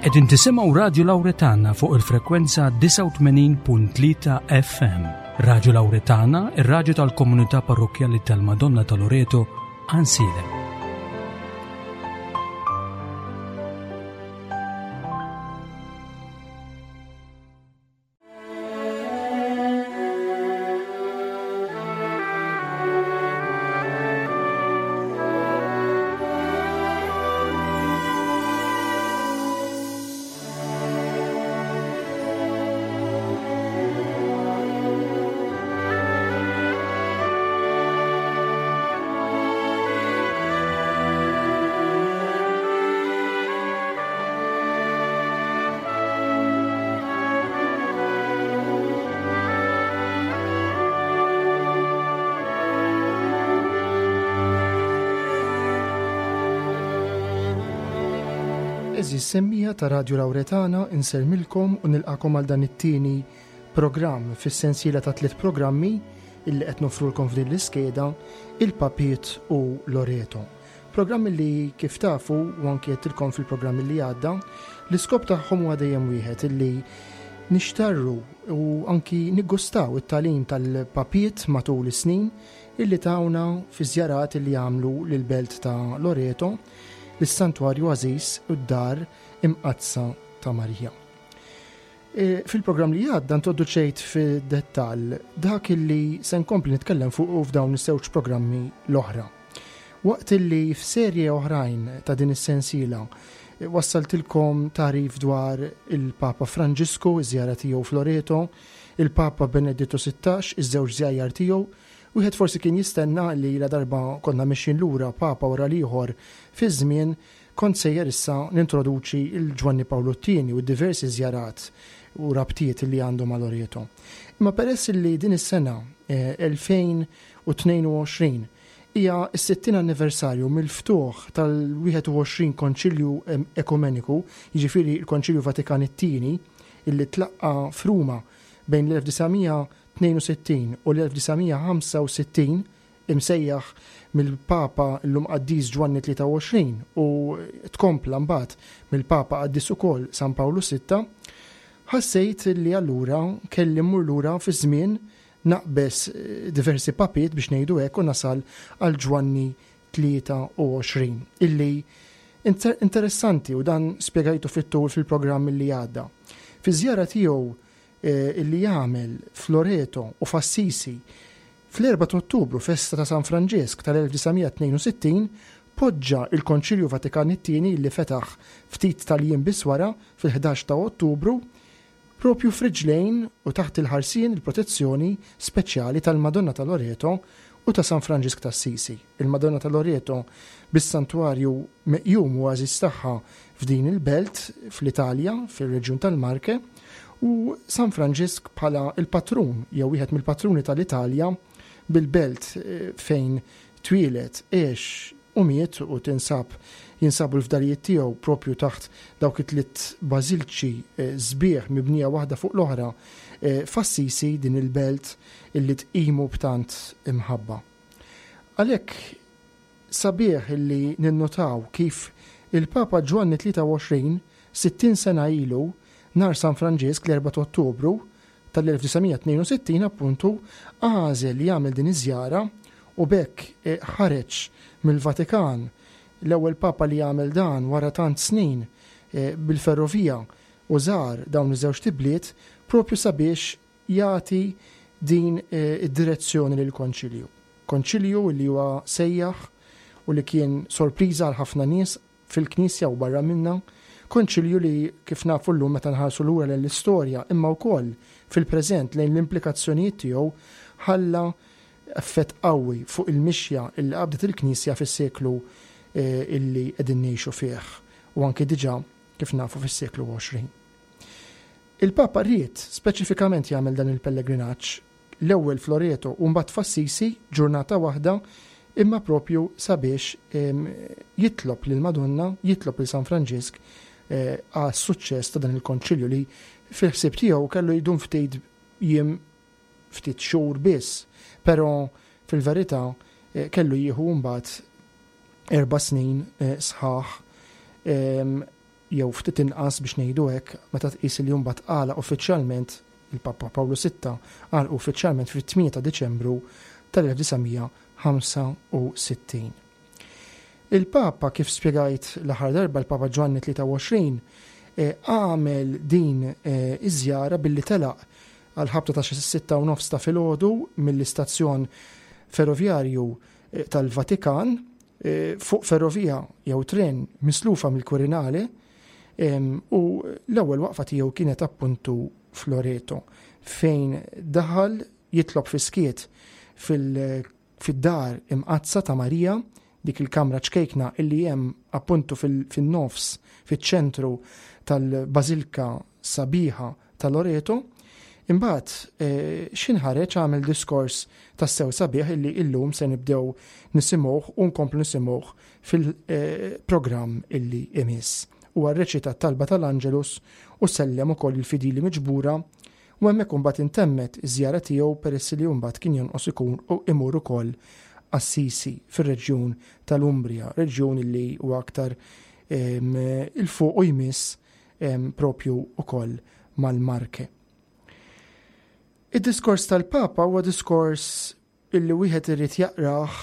Qegħdin tisimgħu Radju Lawretana fuq il-frekwenza 89.3 FM. Radju Lawretana, ir-radju tal-komunità parrokkjali tal-Madonna ta' Loreto, Ansiedem. Eżis semmija ta' Radio Lauretana insermilkom u nilqakom għal dan it-tieni programm fis-sensiela ta' tliet programmi illi qed nofrulkom f'din l-iskeda il-Papiet u Loreto. Programm li kif tafu u anki għedtilkom fil-programm li għadda, l-iskop tagħhom huwa dejjem wieħed illi nixtarru u anki niggustaw it-tagħlim tal-papiet matul is-snin illi tawna fi żjarat illi għamlu lill-belt ta' Loreto, lis-Santwarju għażiż u d-dar imqaddsa ta' Marija. E, fil-programm li għadda introduċejt fid-dettall dak illi se nkompli nitkellem fuq f'dawn iż-żewġ programmi l-oħra. Waqt illi f'serje oħrajn ta' din is-sensiela wassaltilkom tagħrif dwar il-Papa Franġisku, iż-żjara tiegħu f'Loreto, il-Papa Benedittu 16, iż-żewġ żjajjar tiegħu, wieħed forsi kien jistenna li ladarba konna mexjin lura Papa wara l-ieħor fiż-żmien, kont sejjer issa nintroduċi 'l Ġwanni Pawlu t-Tieni u d-diversi żjarat u rabtiet li għandu ma' Loreto. Imma peress li din is-sena 2022 hija s-60 anniversarju mill-ftuħ tal-21 Konċilju Ekumeniku, jiġifieri l-Konċilju Vatikan it-Tieni, illi tlaqqa' f'Ruma bejn l-1962 u l-1965, imsejjaħ mill-Papa llum Qaddis Ġwanni 23 u tkompla mbagħad mill-Papa Qaddis ukoll San Pawlu Sitta, ħassejt li allura kelli mmur lura fiż-żmien Naqbeż diversi papiet biex ngħidu hekk u nasal għal Ġwanni 23 illi interessanti u dan spjegajtu fit-tul fil-programm illi għadda. Fiż-żjara tiegħu illi għamel f'Loreto u f'Assisi fl-4 ta' Ottubru, festa ta' San Franġisk tal-1962, poġġa l-Konċilju Vatikan it-Tieni illi fetaħ ftit tal-jiem biss wara fil-11 ta' Ottubru Proprju f'riġlejn u taħt il-ħarsien, il-protezzjoni, speċjali tal-Madonna ta' Loreto u ta' San Franġisk t'Assisi. Il-Madonna ta' Loreto bis-santwarju meqjum u għażiż tagħha f'din il-belt fl-Italja, fir-reġjun tal-Marche, u San Franġisk bħala l-patrun jew wieħed mill-patruni tal-Italja bil-belt fejn twieled, għex u miet u tinsab jinsabu l-fdalijiet tiegħu proprju taħt dawk it-tliet bażilċi sbieħ mibnija waħda fuq l-oħra f'Assisi, din il-belt illi tqimu b'tant imħabba. Għalhekk sabiħ illi ninnotaw kif il-Papa Ġwanni 23, 60 sena ilu, nhar San Franġisk, l-Erbgħa ta' Ottubru, tal-1962 appuntu għażel li jagħmel din iż-żjara u b'hekk ħareġ mill-Vatikan l-ewwel Papa li għamel dan wara tant snin bil-ferrovija u żar dawn iż-żewġt ibliet propju sabiex jagħti din id-direzzjoni lill-Konċilju. Konċilju li huwa sejjaħ u li kien sorpriża għal ħafna nies fil-Knisja u barra minnha, Konċilju li, kif nafu llum meta nħarsu lura lejn l-istorja, imma wkoll fil-preżent lejn l-implikazzjonijiet tiegħu, ħalla effett qawwi fuq il-mixja li qabdet il-Knisja fis-seklu illi qegħdin ngħixu fih u anki diġà, kif nafu, fis-seklu 20. Il-Papa ried speċifikament jagħmel dan il-pellegrinaġġ l-ewwel f'Loreto u mbagħad f'Assisi, ġurnata waħda, imma propju sabiex jitlob lill-Madonna, jitlob lil San Franġisk għas-suċċess ta' dan il-konċilju li fil-ħsieb tiegħu kellu jdum ftit jiem ftit xhur biss, però fil-verità kellu jieħu mbagħad erba' snin sħaħ. jew ftit inqas biex ngħidu hekk, meta tqis li mbagħad għalaq uffiċjalment il-Papa Pawlu Sitta għalqu uffiċjalment fit-8 ta' Diċembru tal-1965. Il-Papa, kif spjegajt l-aħħar darba, l-Papa Ġwanni 23, għamel din iż-żjara billi telaq għal ħabta ta' xi 6:30 ta' filgħodu mill-istazzjon ferrovjarju tal-Vatikan fuq ferrovija jew tren mislufa mill-Quirinale u l-ewwel waqfa tiegħu kienet appuntu f'Loreto fejn daħal jitlob fis-skiet fid-dar imqaddsa ta' Marija, dik il-kamra ċkejkna illi hemm appuntu fin-nofs, fiċ-ċentru tal-Bażilka sabiħa ta' Loreto. Imbagħad eh, x'in ħareġ għamel diskors tassew sabiħ illi illum se nibdew nisimgħuh u nkomplu nisimgħuh fil-programm illi imiss. Huwa rreċita t-talba tal-Angelus u sellem ukoll il-fidili miġbura U hemmhekk imbagħad intemmet iż-żjara tiegħu peress li mbagħad kien jonqos ikun u imur ukoll Assisi fir-reġjun tal-Umbria, reġjun li huwa aktar 'il fuq u jmiss propju ukoll mal-Marche. Id-diskors tal-Papa huwa diskors illi wieħed irid jaqrah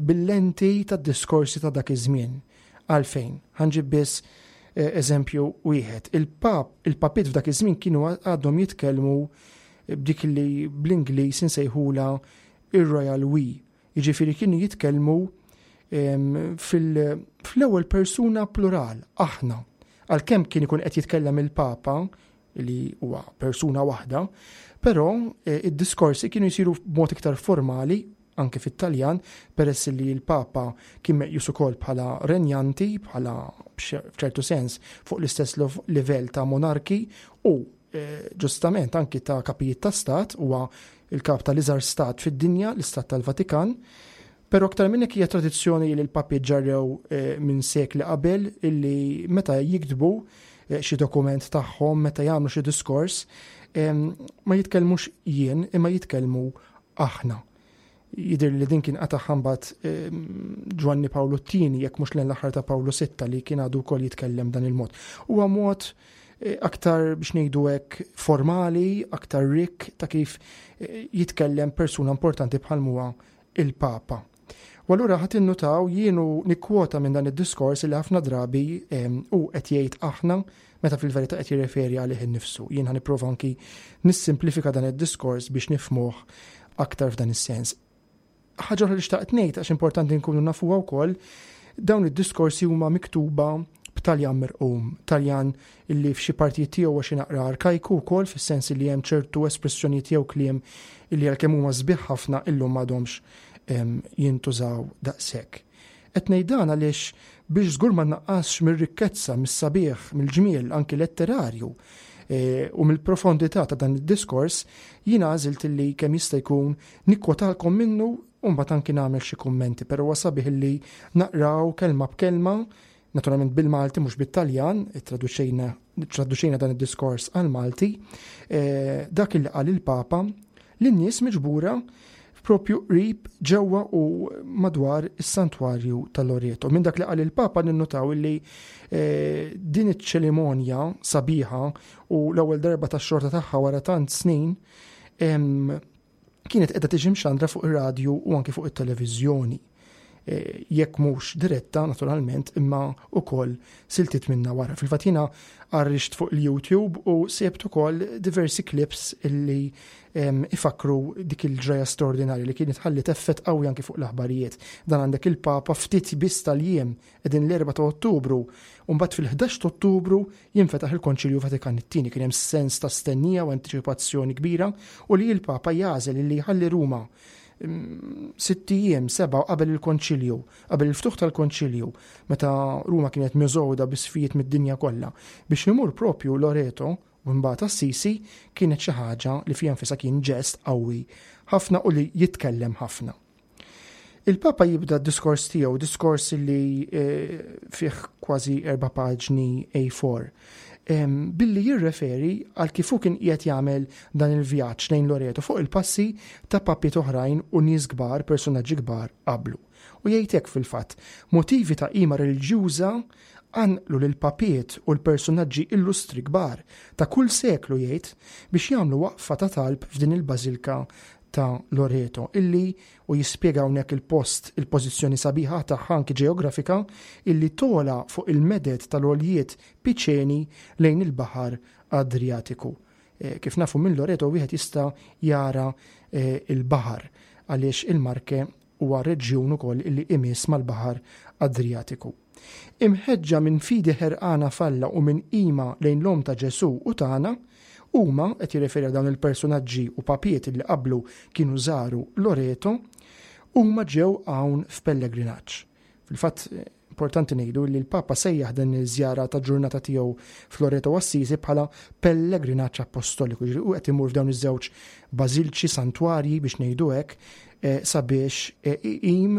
bil-lenti tad-diskorsi ta' dak iż-żmien. Għalfejn? Ħa nġib biss eh, eżempju wieħed. Il-pap, il-papiet f'dak iż-żmien kienu għadhom jitkellmu b'dik li bl-Ingliż insejħula ir-Royal We. Jiġifieri kienu jitkellmu fil-ewwel persuna plural, aħna. Għalkemm kien ikun qed jitkellem il-Papa, li huwa persuna waħda, però eh, id-diskorsi kienu jsiru b'mod iktar formali anke fit-Taljan, peress li l-Papa kien meqjus ukoll bħala renjanti, bħala f'ċertu sens fuq l-istess livell ta' monarki u eh, ġustament anki ta' kapijiet ta' stat, huwa il-kap tal-iżgħar stat fid-dinja, l-istat tal-Vatikan. Però aktar minn hekk hija tradizzjoni li l-papi ġarrew eh, minn sekli qabel illi meta jiktbu eh, xi dokument tagħhom, meta jagħmlu xi diskors, ma jitkellmux jien imma jitkellmu aħna. Jidher li din kien qata' mbagħad Ġwanni Pawlu t-tieni jekk mhux lejn l-aħħar ta' Pawlu Sitta li kien għadu wkoll jitkellem dan il-mod. Huwa mod eh, aktar biex ngħidu hekk formali, aktar rikk ta' kif jitkellem persuna importanti bħal huwa il-Papa. U allura ħadd innutaw jienu nikkwota minn dan id-diskors li ħafna drabi hu qed jgħid aħna meta fil-verità qed jirreferi għalih innifsu. Jien ħa nipprova anki nissimplifika dan id-diskors biex nifhmuh aktar f'dan is-sens. Ħaġa oħra li xtaqt ngħid għax importanti nkunu nafuha wkoll, dawn id-diskorsi huma miktuba b'Taljan mirqum, Taljan illi f'xi partijiet tiegħu huwa xi naqra arkajku wkoll fis-sens li hemm ċertu espressjonijiet jew kliem illi għalkemm huma sbieħ ħafna illum m'għadhomx jintużaw daqshekk. Qed ngħid dan għaliex biex żgur ma nnaqqasx mir-rikkezza, mis-sabiħ, mill-ġmiel anki letterarju e, u mill-profondità ta' dan id-diskors, jiena għażilt illi kemm jista' jkun nikkwotalkom minnu u mbagħad anki nagħmel xi kummenti, però huwa sabiħ illi naqraw kelma b'kelma naturalment bil-Malti mhux bit-Taljan, traduċejna traduċejna dan id-diskors għal-Malti, eh, dak il qal il-Papa lin-nies miġbura propju qrib ġewwa u madwar is-santwarju tal-Loreto. Minn dak li qal il-Papa ninnutaw illi eh, din iċ-ċerimonja sabiħa u l-ewwel darba tax-xorta tagħha wara tant snin kienet qiegħda tiġi mxandra fuq ir-radju u anki fuq it-televiżjoni. E, jekk mhux diretta naturalment imma ukoll siltiet minna wara. Fil-fatt jiena għarrixt fuq il-YouTube u sebt ukoll diversi clips illi ifakru dik il-ġraja straordinarja li kienet ħallit effett qawwi anki fuq l-aħbarijiet. Dan għandek il-Papa ftit biss tal-jiem qegħdin l-4 ta' Ottubru u mbagħad fil-11 ta' Ottubru jinfetaħ il-Konċilju Vatikan it-Tieni. Kien hemm sens ta' stennija u antiċipazzjoni kbira u li l-Papa jagħżel li jħalli Ruma mm, sitt ijiem, seba' qabel il-Konċilju, qabel il-ftuħ tal-Konċilju, meta Ruma kienet miżgħuda bi sfijiet mid-dinja kollha, biex imur propju Loreto u mbagħad Assisi kienet xi ħaġa li fiha nfisha kien ġest qawwi ħafna u li jitkellem ħafna. Il-Papa jibda d-diskors tiegħu, diskors li eh, fih kważi erba' paġni A4, billi jirreferi għal kif hu kien qiegħed jagħmel dan il-vjaġġ lejn Loreto fuq il-passi ta' papiet oħrajn u nies kbar, personaġġi kbar qablu. U jgħid hekk fil-fatt, motivi ta' qima reliġjuża qanqlu lill-papiet u l-persunaġġi illustri kbar ta' kull seklu jgħid biex jagħmlu waqfa ta' talb f'din il-bażilka ta' Loreto illi u jispjega hawnhekk il-post il-pożizzjoni sabiħa tagħha anki ġeografika illi togħla fuq il-meded tal-għoljiet Piċeni lejn il-Baħar Adriatiku. Eh, kif nafu minn Loreto wieħed jista' jara eh, il-baħar għaliex il-Marke huwa reġjun ukoll illi imiss mal-Baħar Adriatiku. Imħeġġa minn fidi ħerqana f'Alla u minn qima lejn l-Omm ta' Ġesù u tagħna, huma, qed jirreferi għal dawn il-persunaġġi u papiet illi qablu kienu żaru Loreto, huma ġew hawn f'pellegrinaġġ. Fil-fatt, importanti ngħidu li l-Papa sejjaħ din iż-żjara ta' ġurnata tiegħu f'Loreto u Assisi bħala pellegrinaġġ appostoliku, jiġifieri hu qed imur f'dawn iż-żewġ bażilċi, santwarji biex ngħidu hekk, eh, sabiex eh, iqim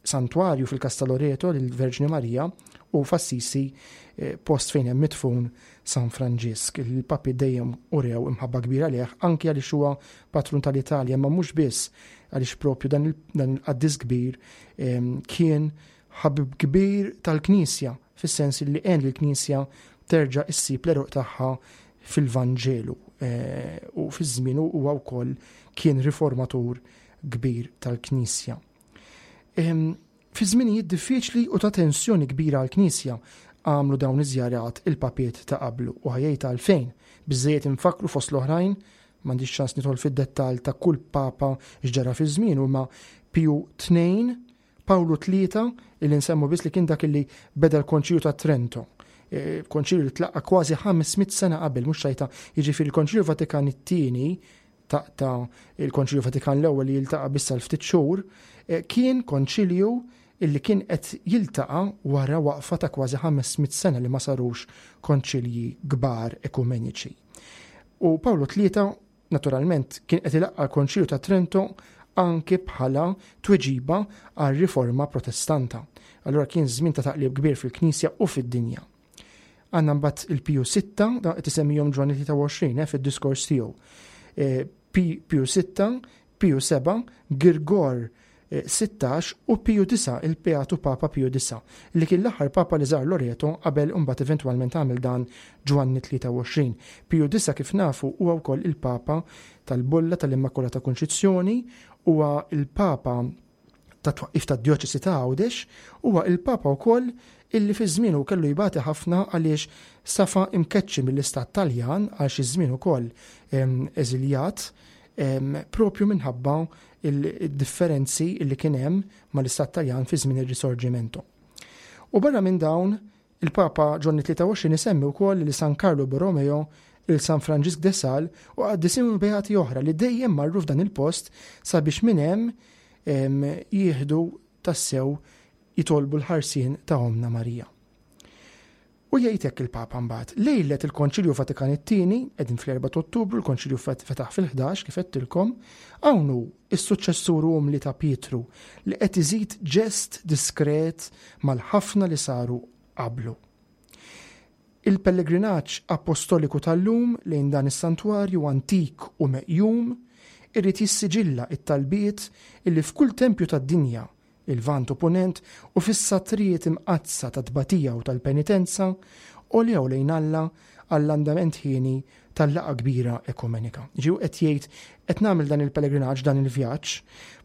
santwarju fil-każ ta' Loreto lill-Verġni Marija u f'Assisi eh, post fejn hemm midfun San Franġisk. Il-papi dejjem urew imħabba kbira leh anki għaliex huwa patrun tal-Italja, ma mhux biss għaliex propju dan il-qaddis kbir ehm, kien ħabib kbir tal-Knisja, fis-sens li għen lill-Knisja terġa' issib l-għeruq tagħha fil-Vanġelu eh, u fi żmienu huwa wkoll kien riformatur kbir tal-Knisja. Fi żminijiet diffiċli u ta' tensjoni kbira għall-Knisja għamlu dawn iż-żjarat il-papiet ta' qablu u ħajjejt għalfejn. Biżżejjed infakkru fost l-oħrajn, m'għandix ċans nidħol fid-dettall ta' kull papa x'ġara fi żmienu, imma Piju II, Pawlu III, illi nsemmu biss li kien dak illi beda l-Konċilju ta' Trento. E, konċilju li tlaqqa kważi 500 sena qabel, mhux xajta, jiġifieri l-Konċilju Vatikan it-tieni taqta' il-Konċilju Vatikan l-ewwel li jiltaqa' biss għal ftit xhur, eh, kien konċilju illi kien qed jiltaqa' wara waqfa ta' kważi 500 sena li ma sarux konċilji kbar ekumeniċi. U Pawlu Tlieta naturalment kien qed ilaqqa' l-Konċilju ta' Trento anki bħala tweġiba għal riforma protestanta. Allura kien żmien ta' taqlib kbir fil-Knisja u fid-dinja. Għandna mbagħad il-Piju 6, da qed isemmihom Ġwanni 23 eh, fid-diskors tiegħu. Eh, Piju 6, Piju 7, Girgor 16 eh, u Piju 9, il-Beatu Papa Piju 9, li kien l-aħħar Papa li żar Loreto qabel imbagħad eventwalment għamel dan Ġwanni 23. Piju 9 kif nafu huwa wkoll il-Papa tal-Bolla tal-Immakulata Kunċizzjoni, huwa il-Papa tat-twaqqif tad-Djoċesi ta' Għawdex, huwa il-Papa wkoll illi fi żmienu kellu jbati ħafna għaliex safa imkeċċi mill-Istat Taljan għal xi żmien ukoll eżiljat propju minħabba il-differenzi illi kien hemm mal-Istat Taljan fi żmien ir-Risorgimento. U barra minn dawn, Il-Papa Ġwanni 23 isemmi wkoll lil San Karlu Borromeo, lil San Franġisk de Sal u qaddisin u beati oħra li dejjem marru f'dan il-post sabiex minn hemm jieħdu tassew jitolbu l-ħarsien ta' Ommna Marija. U jgħid hekk il-Papa mbagħad, lejlet il-Konċilju Vatikan it-tieni, qegħdin fl-4 ta' Ottubru, il-Konċilju fetaħ fil-11 kif għedtilkom, hawn hu is-suċċessur umli ta' Pietru li qed iżid ġest diskret mal-ħafna li saru qablu. Il-pellegrinaġġ appostoliku tal-lum lejn dan is-santwarju antik u meqjum irid jissiġilla t-talbiet illi f'kull tempju tad-dinja il-Lvant u Punent, u fis-satrijiet imqaddsa tat-tbatija u tal-penitenza, għolew lejn Alla għall-andament hieni tal-laqgħa kbira ekumenika. Jiġifieri hu qed jgħid qed nagħmel dan il-pellegrinaġġ, dan il-vjaġġ,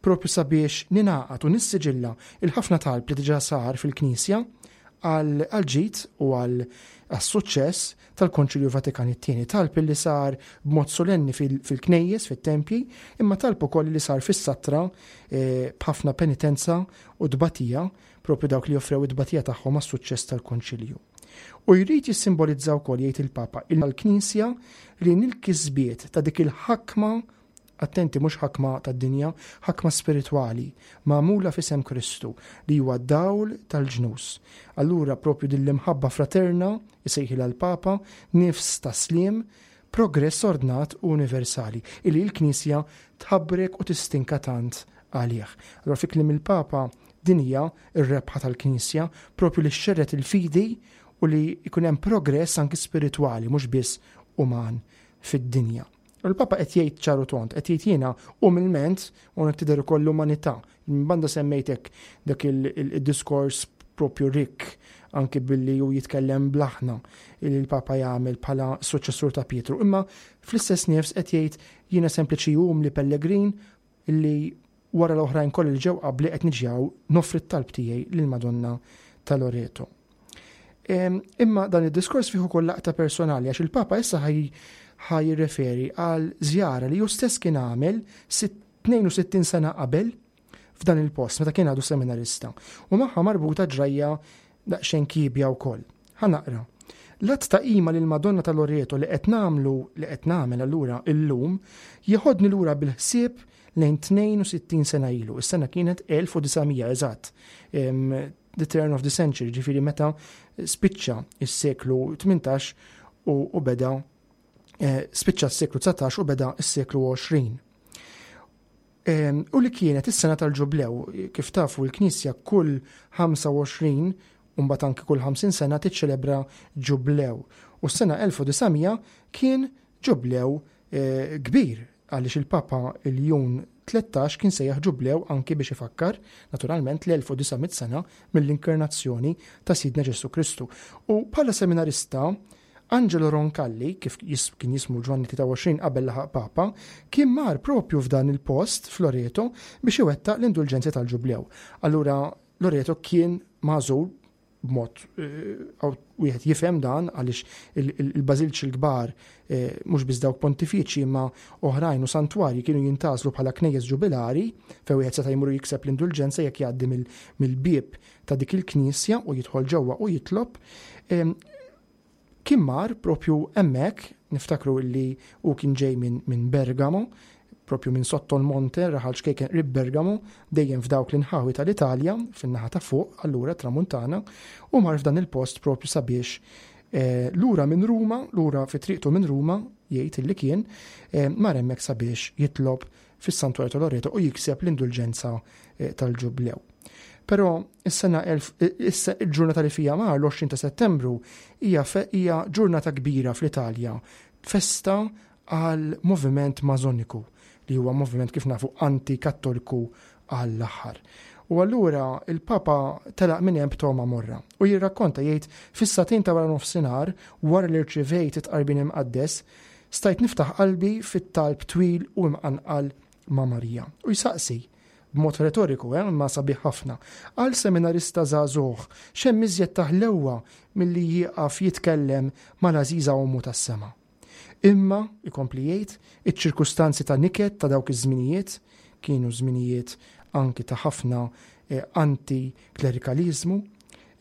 propju sabiex ningħaqad u nissiġilla l-ħafna talb li diġà sar fil-Knisja għall-ġid u għas-suċċess tal-Konċilju Vatikan it-Tieni, talb li sar b'mod solenni fil-knejjes, fit-tempji, imma talb ukoll li sar fis-satra eh, b'ħafna penitenza u tbatija, propju dawk li offrew it-tbatija tagħhom għas-suċċess tal-Konċilju. U jrid jissimbolizza wkoll jgħid il-Papa il-Knisja li nil-kisbiet ta' dik il-ħakma Attenti mhux ħakma tad-dinja, ħakma spiritwali, magħmula f'isem Kristu, li huwa d-dawl tal-ġnus. Allura propju din l-imħabba fraterna, isejħilha l-Papa, nifs ta' sliem, progress ordnat u universali, illi l-Knisja tħabbrek u tistinka tant għalih. Allura fi kliem il-Papa, din hija r-rebħa tal-Knisja, propju li xxerred il-fidi u li jkun hemm progress anki spiritwali, mhux biss uman fid-dinja. U l-Papa qed jgħid ċar u tond, qed jgħid jiena umilment u hawnhekk tidher ukoll l-umanità. Minn banda semmejtek dak il-diskors propju rikk anki billi hu jitkellem bl-aħna li l-Papa jagħmel bħala suċċessur ta' Pietru. Imma fl-istess nifs qed jgħid jiena sempliċi umli pellegrin li wara l-oħrajn kollha li ġew qabli qed niġi hawn noffri t-talb tiegħi lill-Madonna ta' Loreto. Imma dan id-diskors fih ukoll laqta personali għax il-Papa issa ħa jirreferi għal żjara li hu stess kien għamel 62 sena qabel f'dan il-post meta kien għadu seminarista u magħha marbuta ġrajja daqsxejn kiebja wkoll. Ħa naqra. L-att ta' qima lil Madonna ta' Loreto li qed nagħmlu li qed nagħmel allura illum jeħodni lura bil-ħsieb lejn 62 sena ilu. Is-sena kienet 1900 eżatt. The turn of the century, ġifieri meta spiċċa is-seklu 18 u beda eh, spiċċa s-seklu 19 u beda s-seklu 20. U li kienet is-sena tal-ġublew, kif tafu l-Knisja kull 25 u mbagħad anki kull 50 sena tiċċelebra ġublew. U s-sena 1900 kien ġublew eh, kbir għaliex il-Papa Ljun 13 kien sejjaħ ġublew anki biex ifakkar, naturalment, l-1900 sena mill-inkarnazzjoni ta' Sidna Ġesù Kristu. U bħala seminarista, Angelo Roncalli, kif kien jismu Ġwanni 23 qabel laħaq Papa, kien mar propju f'dan il-post f'Loreto biex iwettaq l-indulġenzi tal-ġublew. Allura Loreto kien magħżul b'mod eh, wieħed jifhem dan għaliex il-bażilċi l-kbar eh, mhux biss dawk pontifiċi imma oħrajn u santwarji kienu jintgħażlu bħala knejjes ġubilari fejn wieħed seta' jmur jikseb l-indulġenza jekk jgħaddi mill-bieb ta' dik il-knisja u jidħol ġewwa u jitlob. Kien mar propju hemmhekk, niftakru illi hu kien ġej minn Bergamo, propju minn Sotto l Monte, raħal ċkejken qrib Bergamo, dejjem f'dawk l-inħawi tal-Italja, fin-naħa ta' fuq, allura tramuntana, u mar f'dan il-post propju sabiex eh, lura minn Ruma, lura fi triqtu minn Ruma, jgħid illi kien, eh, mar hemmhekk sabiex jitlob fis-Santwarju ta' Loreto u jikseb l-indulġenza eh, tal-ġublew. Però is-sena il-ġurnata li fija mar l-20 ta' Settembru hija hija ġurnata kbira fl-Italja, festa għal moviment mażoniku li huwa moviment kif nafu anti-kattoliku għall-aħħar. U allura il-Papa telaq minn hemm b'togħma morra u jirrakkonta jgħid fis-sagħtejn ta' wara nofsinhar wara li rċivejt it-tqarbin imqaddes Stajt niftaħ qalbi fit-talb twil u imqanqal ma' Marija. U jsaqsi, b'mod retoriku, eh, imma sabiħ ħafna, għal seminarista żagħżugħ, x'hemm iżjed ta' ħlewwa milli jieqaf jitkellem mal-għażiża Ommu tas-sema? Imma, ikompli jgħid, iċ-ċirkustanzi ta' niket ta' dawk iż-żminijiet, kienu żminijiet anki ta' ħafna eh, anti-klerikaliżmu,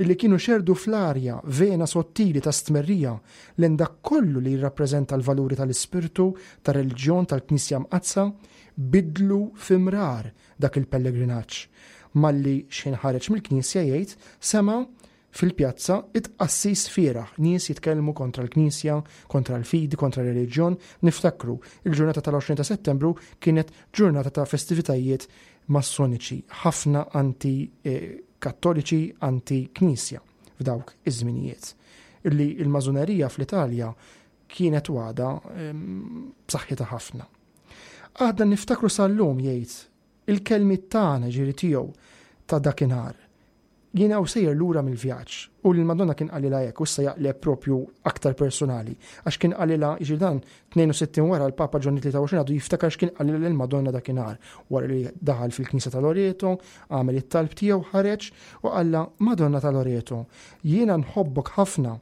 illi kienu xerrdu fl-arja vena sottili ta' stmerrija lejn dak kollu li jirrappreżenta l-valuri tal-ispirtu tar-reliġjon tal-Knisja Mqaddsa, biddlu fi mrar dak il-pellegrinaġġ. Malli xħin ħareġ mill-knisja jgħid, sema' fil-pjazza it-tqassis fieragħ, nies jitkellmu kontra l-Knisja, kontra l-fidi, kontra r-reliġjon. Niftakru, il-ġurnata tal-20 ta' Settembru kienet ġurnata ta' festivitajiet massoniċi, ħafna anti kattoliċi anti-knisja f'dawk iż-żminijiet. Illi il-mażunerija fl-Italja kienet u għadha b'saħħitha ħafna. Għadna niftakru sal-lum jgħid il-kelmiet tagħna ġiri tiegħu ta' dakinhar. Jien hawn sejjer lura mill-vjaġġ u l-Madonna kien qalilha hekk u issa jaqleb propju aktar personali għax kien qalilha jiġri dan 62 wara l-Papa Ġwanni 23 għadu jiftakar x'kien qalilha lill-Madonna dakinhar wara li daħal fil-Knisja ta' Loreto, għamel it-talb tiegħu ħareġ u qallha Madonna ta' Loreto, jiena nħobbok ħafna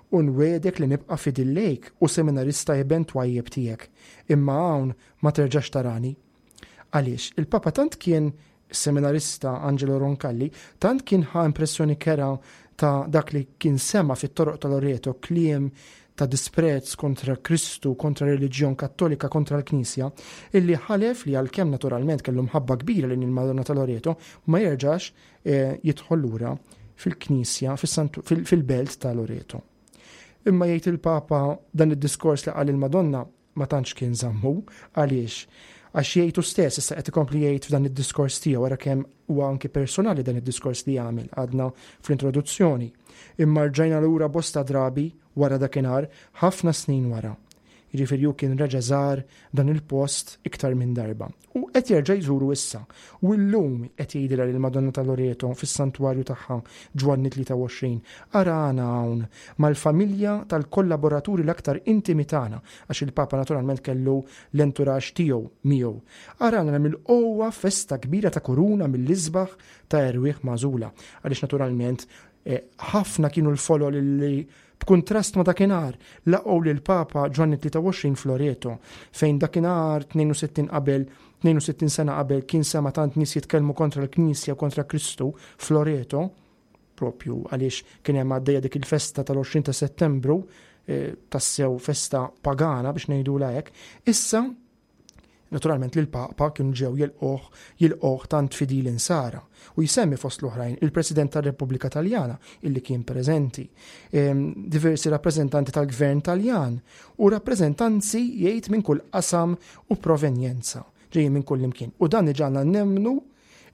u nwiegħdek li nibqa' fidil lejk u seminarista iben twajjeb tiegħek, imma hawn ma terġax tarani. Għaliex? Il-Papa tant kien Is-seminarista Angelo Roncalli tant kien ħa impressjoni kerha ta' dak li kien sema' fit-toroq ta' Loreto, kliem ta' disprezz kontra Kristu, kontra r-reliġjon Kattolika, kontra l-Knisja, illi ħalef li għalkemm naturalment kellu mħabba kbira lejn il-Madonna ta' Loreto, ma jerġax eh, jidħol lura fil-Knisja, fil-belt ta' Loreto. Imma jgħid il-Papa dan id-diskors li qal il-Madonna ma tantx kien żammu. Għaliex? Għax jgħid hu stess, issa qed ikompli jgħid f'dan id-diskors tiegħu, ara kemm huwa anki personali dan id-diskors li għamel, għadna fl-introduzzjoni. Imma rġajna lura bosta drabi wara dakinhar, ħafna snin wara. Jiġifieri hu kien reġa' żar dan il-post iktar minn darba. U qed jerġa' jżuru issa. U llum qed jgħidilha lill-Madonna ta' Loreto fis-santwarju tagħha Ġwanni 23, Arana hawn mal-familja tal-kollaboraturi l-aktar intimi tagħna, għax il-Papa naturalment kellu l-entourage tiegħu miegħu. Arana mill-qowwa festa kbira ta' kuruna mill-isbaħ ta' erwieħ magħżula. Għaliex naturalment eh, ħafna kienu l-folol li B'kuntrast ma' dakinhar, laqgħu lill-Papa Ġwanni 23 f'Loreto, fejn dakinhar 62 qabel 62 sena qabel kien sema' tant nies jitkellmu kontra l-Knisja u kontra Kristu f'Loreto, propju għaliex kien hemm għaddejja dik il-festa tal-20 ta' Settembru, eh, tassew festa pagana biex ngħidulha hekk, issa Naturalment li l-Papa kienu ġew jilqgħuh jilqgħuh tant fidili nsara u jsemmi fost l-oħrajn il-President tar-Repubblika Taljana illi kien preżenti, ehm, diversi rappreżentanti tal-Gvern Taljan u rappreżentanzi jgħid minn kull qasam u provenjenza ġejjin minn kull imkien. U dan iġagħalna nemmnu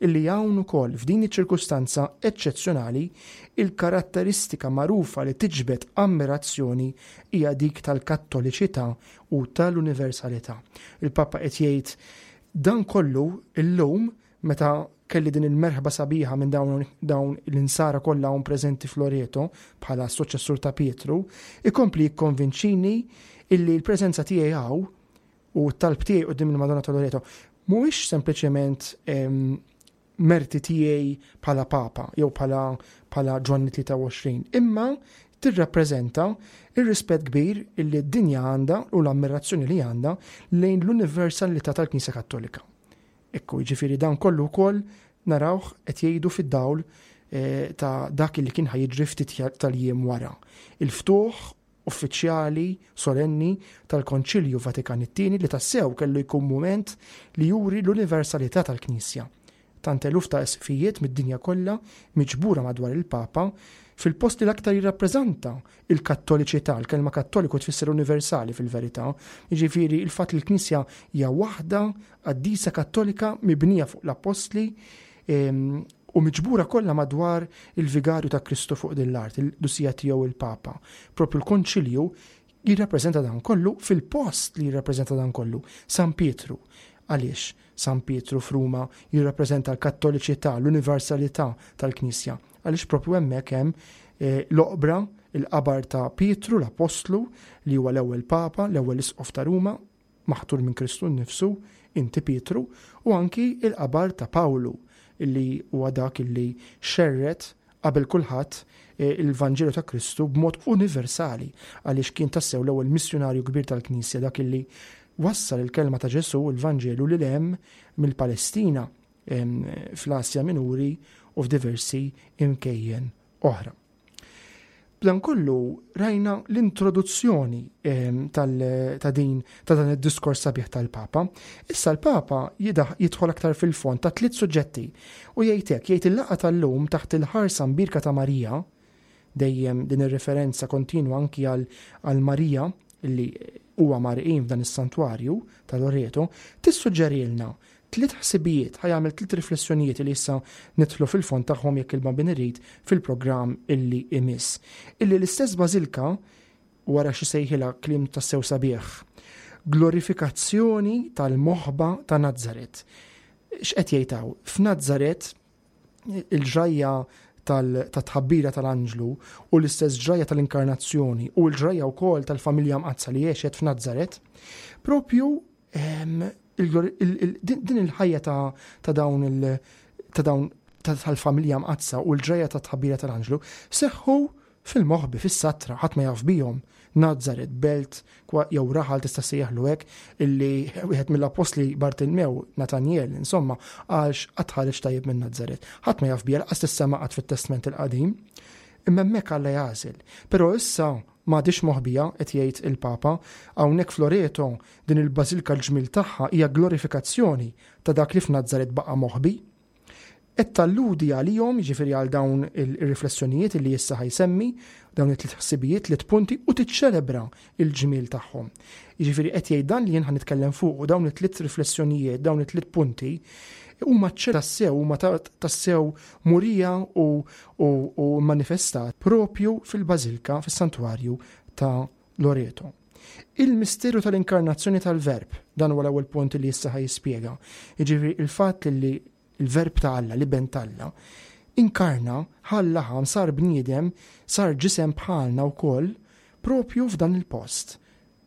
illi hawn ukoll f'din iċ-ċirkustanza eċċezzjonali il-karatteristika magħrufa li tiġbed ammirazzjoni hija dik tal-kattoliċità u tal-universalità. Il-Papa qed jgħid dan kollu illum meta kelli din il-merħba sabiħa minn dawn, dawn l-insara kollha hawn preżenti f'Loreto bħala s-suċċessur ta' Pietru, ikompli jikkonvinċini illi l-preżenza tiegħi hawn U t-talb tiegħi quddiem il-Madonna ta' Loreto mhuwiex sempliċement merti tiegħi bħala Papa jew bħala bħala Ġwanni 23, imma tirrappreżenta ir-rispett kbir illi d-dinja għandha u l-ammirazzjoni li għandha lejn l-universalità tal-Knisja Kattolika. Ekku, jiġifieri dan kollu wkoll narawh qed jgħidu fid-dawl eh, ta' dak li kien ħajġri ftit tal-jiem wara. Il-ftuħ uffiċjali solenni tal-Konċilju Vatikan it-Tieni li tassew kellu jkun mument li juri l-universalità tal-Knisja. Tant eluf ta' isqfijiet mid-dinja kollha miġbura madwar il-Papa fil-post li l-aktar jirrappreżanta il-kattoliċità, il-kelma kattoliku tfisser universali fil-verità, jiġifieri il-fatt li l-Knisja hija waħda qaddisa kattolika mibnija fuq l-appostli ehm, u miġbura kollha madwar il-vigarju ta' Kristu fuq din l-art, il-qdusija tiegħu il-Papa. Propju l-Konċilju jirrappreżenta dan kollu fil-post li jirrappreżenta dan kollu, San Pietru. Għaliex San Pietru f'Ruma jirrappreżenta l-kattoliċità, l-universalità tal-Knisja? Għaliex propju hemmhekk hemm eh, l-oqbra, il-qabar ta' Pietru l-Apostlu li huwa l-ewwel Papa, l-ewwel Isqof ta' Ruma, maħtur minn Kristu nnifsu, inti Pietru, u anki il-qabar ta' Pawlu, illi huwa dak illi xerred qabel kulħadd eh, il-Vanġelu ta' Kristu b'mod universali għaliex kien tassew l-ewwel missjunarju kbir tal-Knisja dak illi wassal il-kelma ta' Ġesù il-Vanġelu lil hemm mill-Palestina fl-Asja Minuri u f'diversi imkejjen oħra. B'dan kollu rajna l-introduzzjoni ehm, ta' din ta' dan id-diskors sabiħ tal-Papa. Issa l-Papa jidħol aktar fil-fond ta' tliet suġġetti u jgħid hekk, jgħid il-laqgħa tal-lum taħt il-ħarsa mbirka ta' Marija, dejjem din ir-referenza kontinwa anki għal Marija li huwa marqin f'dan is-santwarju ta' Loreto, tissuġġerilna Tliet ħsibijiet, ħa jagħmel tliet riflessjonijiet li issa nidħlu fil-fond tagħhom jekk il-Bambin irid fil-programm illi imiss. Illi l-istess bażilka, wara xi sejħilha kliem tassew sabiħ, glorifikazzjoni tal-moħba ta' Nazzaret. X'qed jgħid hawn? F'Nazzaret il-ġrajja tat-tħabbira tal-anġlu u l-istess ġrajja tal-inkarnazzjoni u l-ġrajja wkoll tal-familja mqaddsa li għexet f'Nazzaret, propju din il-ħajja ta' dawn il ta' dawn tal-familja mqaddsa u l-ġrajja ta' tħabbira tal-anġlu seħħu fil-moħbi, fis-satra, ħadd ma jaf bihom. Nazaret, belt, jew raħal tista' sejjaħlu hekk, illi wieħed mill-appostli Bartilmew, Natanjel, insomma, għalx qatt ħareġ tajjeb minn Nazaret. Ħadd ma jaf biha, lanqas tissema qatt fit-Testment il-Qadim. Imma hemmhekk Alla jagħżel. Però issa M'għadhiex moħbija, qed jgħid il-Papa. Hawnhekk f'Loreto, din il-bażilka l-ġmiel tagħha hija glorifikazzjoni ta' dak li f'Nazaret baqa' moħbi. Qed talludi għalihom, jiġifieri għal dawn ir-riflessjonijiet li issa ħa jsemmi, dawn it-tliet ħsibijiet, tliet punti, u tiċċelebra l-ġmiel tagħhom. Jiġifieri qed jgħid dan li jien ħa nitkellem fuqu, dawn it-tliet riflessjonijiet, dawn it-tliet punti, huma tassew, huma tassew murija u u manifestat propju fil-Bażilka, fis-Santwarju ta' Loreto. Il-misteru tal-inkarnazzjoni tal-Verb, dan huwa l-ewwel punt li issa ħa jispjega. Jiġifieri il-fatt li l-Verb ta' Alla, l-Iben t'Alla, inkarna, ħa l-laħam, sar bniedem, sar ġisem bħalna wkoll, propju f'dan il-post.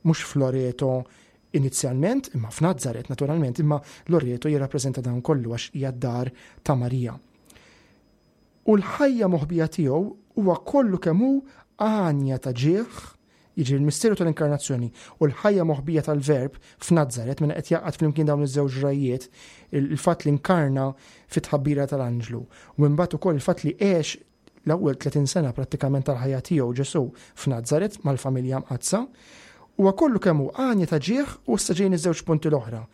Mhux f'Loreto inizjalment, imma f'Nazaret naturalment, imma Loreto jirrappreżenta dan kollu għax hija d-dar ta' Marija. U l-ħajja moħbija tiegħu huwa kollu kemm hu għanja ta' ġieħ, jiġri l-misteru tal-inkarnazzjoni u l-ħajja moħbija tal-Verb f'Nazaret, mela qed jgħaqqad flimkien dawn iż-żewġ ġrajjiet, il-fatt li nkarna fit-tħabbira tal-anġlu u imbagħad ukoll il-fatt li għex l-ewwel 30 sena prattikament tal-ħajja tiegħu Ġesù f'Nazaret mal-familja mqaddsa, huwa kollu kemm hu għanja ta' ġieħ u issa ġejjin iż-żewġ punti l-oħra.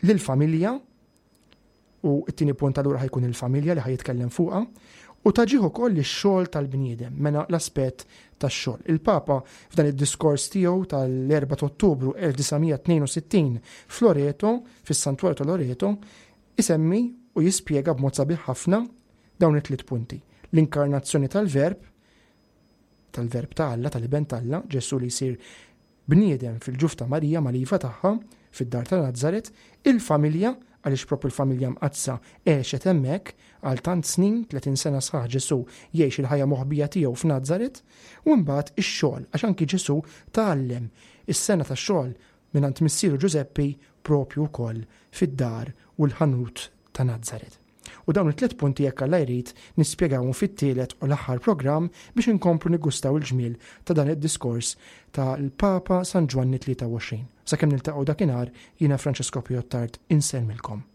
Lill-familja U t-tieni punt allura ħajkun il-familja li ħajitkellem fuqha u taġih ukoll ix-xogħol tal-bniedem, mela l-aspett tax-xogħol. Il-Papa f'dan id-diskors tiegħu tal-4 ta' Ottubru 1962 f'Loreto, fis-Santwarju ta' Loreto, isemmi u jispjega b'mod sabiħ ħafna dawn it-tliet punti. L-inkarnazzjoni tal-Verb, tal-Verb ta' Alla, tal-Iben t'Alla, Ġesù li jsir bniedem fil-ġuf ta' Marija mal-iva tagħha, fid-dar ta' Nazaret, il-familja, għaliex proprju l-familja mqaddsa għexet hemmhekk għal tant snin, 30 sena sħaħ Ġesù jgħix il-ħajja moħbija tiegħu f'Nazaret, u mbagħad ix-xogħol, għax anki Ġesù tgħallem is-sengħa tax-xogħol mingħand missieru Ġużeppi proprju wkoll fid-dar u l-ħanut ta' Nazaret. U dawn it-tliet punti jekk Alla jrid nispjegawhom fit-tielet u l-aħħar programm biex inkomplu niggustaw il-ġmiel ta' dan id-diskors tal-Papa San Ġwanni 23. Sakemm niltaqgħu dakinhar jiena Francesco Pio Attard insellmilkom.